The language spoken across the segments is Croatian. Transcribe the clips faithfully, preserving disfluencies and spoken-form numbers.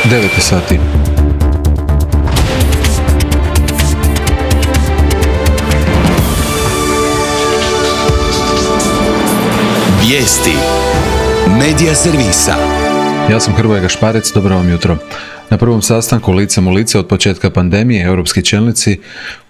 devet sati. Vijesti Medija servisa. Ja sam Hrvoje Gašparec, dobro vam jutro. Na prvom sastanku licem u lice od početka pandemije europski čelnici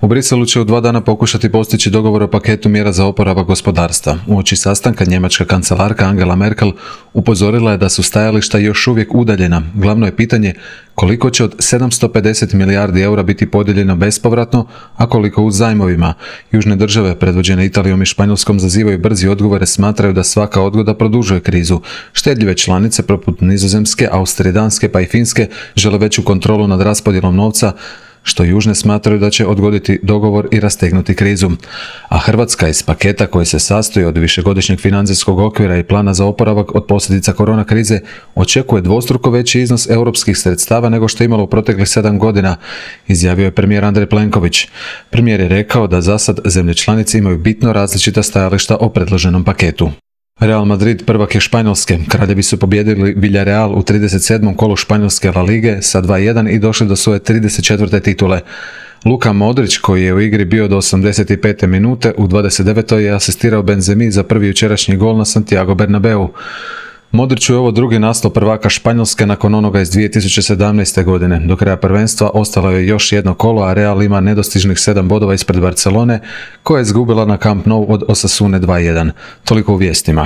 u Briselu će u dva dana pokušati postići dogovor o paketu mjera za oporavak gospodarstva. Uoči sastanka njemačka kancelarka Angela Merkel upozorila je da su stajališta još uvijek udaljena. Glavno je pitanje koliko će od sedamsto pedeset milijardi eura biti podijeljeno bespovratno, a koliko u zajmovima. Južne države, predvođene Italijom i Španjolskom, zazivaju brzi odgovore, smatraju da svaka odgoda produžuje krizu. Štedljive članice poput Nizozemske, Austrije, Danske pa i Finske žele veću kontrolu nad raspodjelom novca, što južne smatraju da će odgoditi dogovor i rastegnuti krizu. A Hrvatska iz paketa koji se sastoji od višegodišnjeg financijskog okvira i plana za oporavak od posljedica korona krize očekuje dvostruko veći iznos europskih sredstava nego što je imalo u proteklih sedam godina, izjavio je premijer Andrej Plenković. Premijer je rekao da zasad zemlje članice imaju bitno različita stajališta o predloženom paketu. Real Madrid prvak je Španjolske. Kraljevi su pobijedili Villarreal u trideset sedmom kolu Španjolske La Lige sa dva jedan i došli do svoje trideset četvrte titule. Luka Modrić, koji je u igri bio do osamdeset pete minute, u dvadeset devetoj je asistirao Benzemi za prvi jučerašnji gol na Santiago Bernabeu. Modriću je ovo drugi naslov prvaka Španjolske nakon onoga iz dvije tisuće sedamnaeste. godine. Do kraja prvenstva ostalo je još jedno kolo, a Real ima nedostižnih sedam bodova ispred Barcelone, koja je izgubila na Camp Nou od Osasune dva jedan. Toliko u vijestima.